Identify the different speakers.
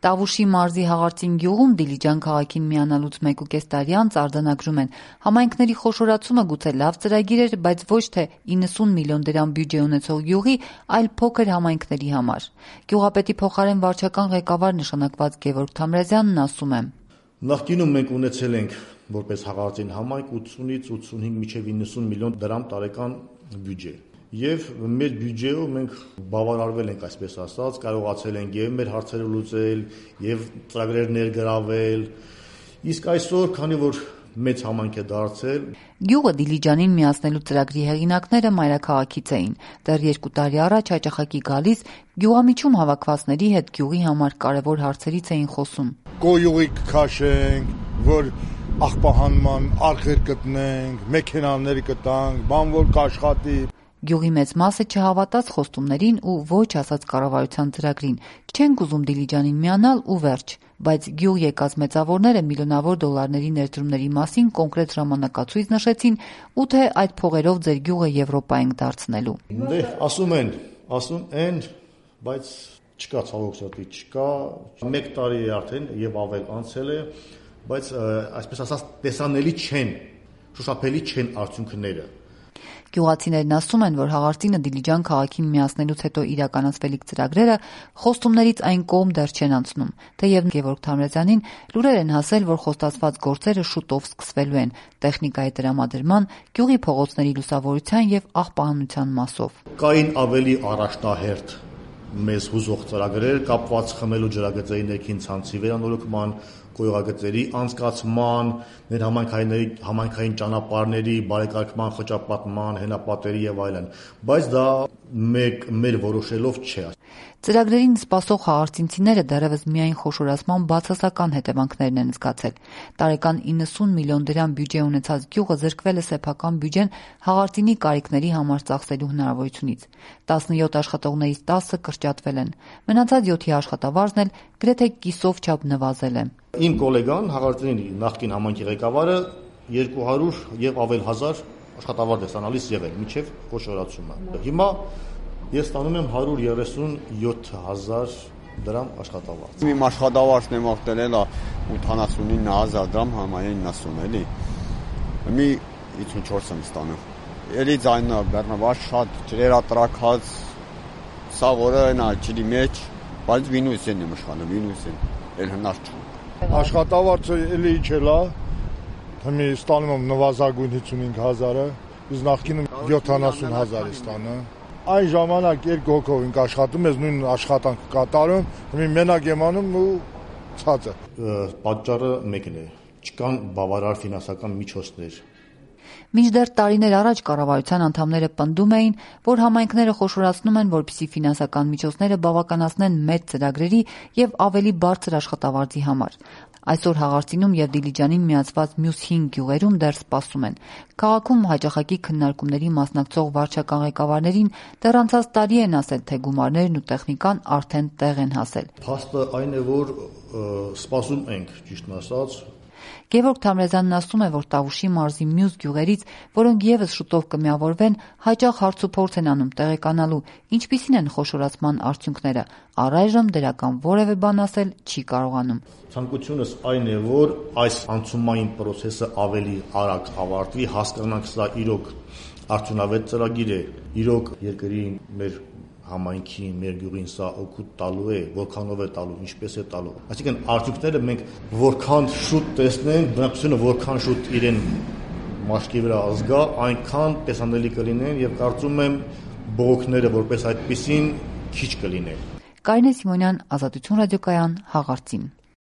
Speaker 1: Տավուշի մարզի Հաղարծին գյուղում Դիլիջան քաղաքին միանալուց 1.5 տարի անց արձանագրում են. համայնքների խոշորացումը գուցե լավ ծրագիր էր, բայց ոչ թե 90 միլիոն դրամ բյուջե ունեցող գյուղի, այլ փոքր համայնքների համար։ Գյուղապետի փոխարեն վարչական ղեկավար նշանակված Գևորգ Թամրազյանն ասում է.
Speaker 2: Նախկինում մենք ունեցել ենք որպես Հաղարծին համայնք 80-ից 85 մինչև 90 միլիոն դրամ տարեկան բյուջե։ Եվ մեր բյուջեով մենք բավարարվել ենք, այսպես ասած, կարողացել ենք եւ մեր հարցերը լուծել, եւ ծրագրեր ներգրավել։ Իսկ այսօր, քանի որ մեծ համայնք է դարձել,
Speaker 1: գյուղը Դիլիջանին միացնելու ծրագրի հեղինակները մայրաքաղաքից էին։ Դեռ 2 տարի առաջ հաճախակի գալիս գյուղամիջում հավաքվածների հետ գյուղի համար կարևոր հարցերից էին խոսում։
Speaker 3: Գոյուղի կքաշենք, որ աղբահանման արխեր գտնենք, մեքենաներ կտանք, բան որ կաշխատի։
Speaker 1: Գյուղի մեծ մասը չհավատաց խոստումներին ու ոչ ասաց կառավարության ծրագրին։ Չենք ուզում Դիլիջանին միանալ ու վերջ, բայց գյուղ եկած մեծավորները միլիոնավոր դոլարների ներդրումների մասին կոնկրետ ժամանակացույց նշեցին ու թե այդ փողերով ձեր գյուղը Եվրոպա ենք դարձնելու։
Speaker 2: Ասում են, բայց չկա ցավոքսատի, չկա, 1 տարի է արդեն եւ ավել անցել է, բայց այսպես ասած տեսանելի չեն, շոշափելի չեն արդյունքները։
Speaker 1: Գյուղացիներն ասում են, որ Հաղարծինը Դիլիջան քաղաքին միացնելուց հետո իրականացվելիք ծրագրերը խոստումներից այն կողմ դեռ չեն անցնում, թեև Գևորգ Թամրազյանին լուրեր են հասել, որ խոստացված գործերը շուտով սկսվելու են տեխնիկայի տրամադրման, գյուղի փողոցների լուսավորության եւ աղբահանության մասով։
Speaker 2: Կային ավելի առաջնահերթ մեզ հուզող ծրագրեր կապված խմելու ջրագծերի ներքին ցանցի վերանորոգման, գոյողագծերի անցկացման, համայնքային ճանապարհների բարեկարգման, խճապատման, հենապատերի եւ այլն, բայց դա մեր որոշելով չէ։
Speaker 1: Ծրագրերին սպասող հաղարծինցիները դեռևս միայն խոշորացման բացասական հետևանքներն են զգացել։ Տարեկան 90 միլիոն դրամ բյուջե ունեցած գյուղը զրկվել է սեփական բյուջեն Հաղարծինի կարիքների համար ծախսելու հնարավորությունից։ 17 աշխատողներից 10-ը կրճատվել են։ Մնացած 7-ի աշխատավարձն էլ գրեթե կիսով չափ նվազել է։
Speaker 2: Իմ գոլեգան Հաղարծինի նախկին համայնքի ղեկավարը 200 եւ ավել հազար աշխատավարձ է ստանալիս եղել մինչև խոշորացումը։ Հիմա ես ստանում եմ 137,000 դրամ աշխատավարձ։
Speaker 4: Իմ աշխատավարձն եմ ավտել էլ 89,000 դրամ համային 90 էլի։ Մի 54 եմ ստանում։ Էլի ձայնը բեռնված շատ ջրերատրակած սա որը նա ջրի մեջ, բայց վինուսին եմ իշխանում, վինուսին։ Էլ հնար չունի։
Speaker 3: Աշխատավարձը էլի իջելա, հիմա ստանում եմ նվազագույն 55,000-ը, իսկ նախկինում 70,000 է ստանում։ Այն ժամանակ 2 հոգով ենք աշխատում, ես նույն աշխատանք կատարում, հիմա մենակ եմ անում ու ցածը։
Speaker 2: Պատճառը մեկն է, չկան բավարար ֆինանսական միջոցներ։
Speaker 1: Մինչդեռ տարիներ առաջ կառավարության անդամները պնդում էին, որ համայնքները խոշորացնում են, որպեսզի ֆինանսական միջոցները բավականացնեն մեծ ծրագրերի եւ ավելի բարձր աշխատավարձի համար։ Այսօր Հաղարծինում եւ Դիլիջանին միացված մյուս 5 գյուղերում դեռ սպասում են։ Քաղաքում հաճախակի քննարկումների մասնակցող վարչական ղեկավարներին դեռ անցած տարի են ասել, թե գումարներն ու տեխնիկան արդեն տեղ են հասել։
Speaker 2: Փաստը այն է, որ սպասում ենք, ճիշտն ասած։
Speaker 1: Գևորգ Թամրազյանն ասում է, որ Տավուշի մարզի մյուս գյուղերից, որոնք եւս շուտով կմիավորվեն, հաճախ հարցուփորձ են անում տեղեկանալու, ինչպիսին են խոշորացման արդյունքները։ Առայժմ դրական որևէ բան ասել չի կարողանում։
Speaker 2: Ցանկությունս այն է, որ այս անցումային process-ը ավելի արագ ավարտվի, հասկանանք սա իրոք արդյունավետ ծրագիր է, իրոք երկրին մեր համայնքին, մեր գյուղին սա օգուտ տալու է, որքանով է տալու, ինչպես է տալու։ Այսինքն արդյունքները մենք որքան շուտ տեսնենք, բնակչությունը որքան շուտ իրեն մաշկի վրա ազգա, այնքան տեսանելի կլինեն եւ կարծում եմ բողոքները որպես այդպեսին քիչ կլինեն։
Speaker 1: Կարինե Սիմոնյան, Ազատություն ռադիոկայան, Հաղարծին։